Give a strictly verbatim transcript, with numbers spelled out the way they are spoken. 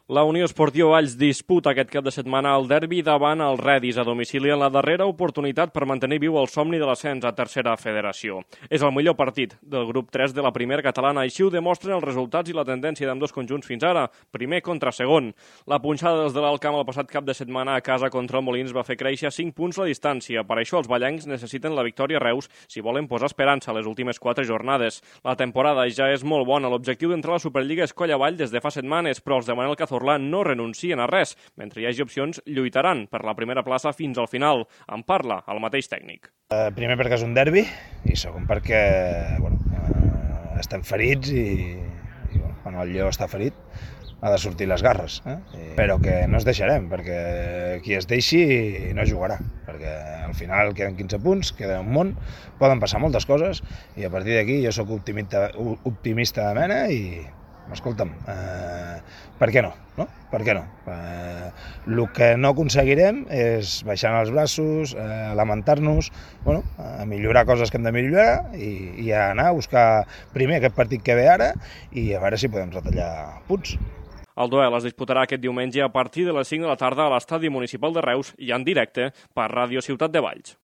La Unió Esportiva Valls disputa aquest cap de setmana el derbi davant el Redis a domicili en la darrera oportunitat per mantenir viu el somni de l'ascens a tercera federació. És el millor partit del grup tres de la primera catalana, així ho demostren els resultats i la tendència d'ambdós conjunts fins ara, primer contra segon. La punxada dels de l'Alt Camp el passat cap de setmana a casa contra el Molins va fer créixer cinc punts la distància. Per això els ballencs necessiten la victòria a Reus si volen posar esperança a les últimes quatre jornades. La temporada ja és molt bona. L'objectiu d'entrar a la Superliga és coll avall des de fa setmanes, però els de Manel Cazorla no renuncien a res. Mentre hi hagi opcions, lluitaran per la primera plaça fins al final. En parla el mateix tècnic. Uh, primer perquè és un derbi i segon perquè bueno, uh, estem ferits i, i bueno, quan el lleó està ferit ha de sortir les garres, eh? Però que no es deixarem, perquè qui es deixi no jugarà, perquè al final queden quinze punts, queda un món, poden passar moltes coses i a partir d'aquí jo sóc optimista, optimista de mena i escolta'm, eh, per què no? no? Per què no? Eh, el que no aconseguirem és baixar els braços, eh, lamentar-nos, bueno, a millorar coses que hem de millorar i, i anar a buscar primer aquest partit que ve ara i a veure si podem retallar punts. El duel es disputarà aquest diumenge a partir de les cinc de la tarda a l'Estadi Municipal de Reus i en directe per Ràdio Ciutat de Valls.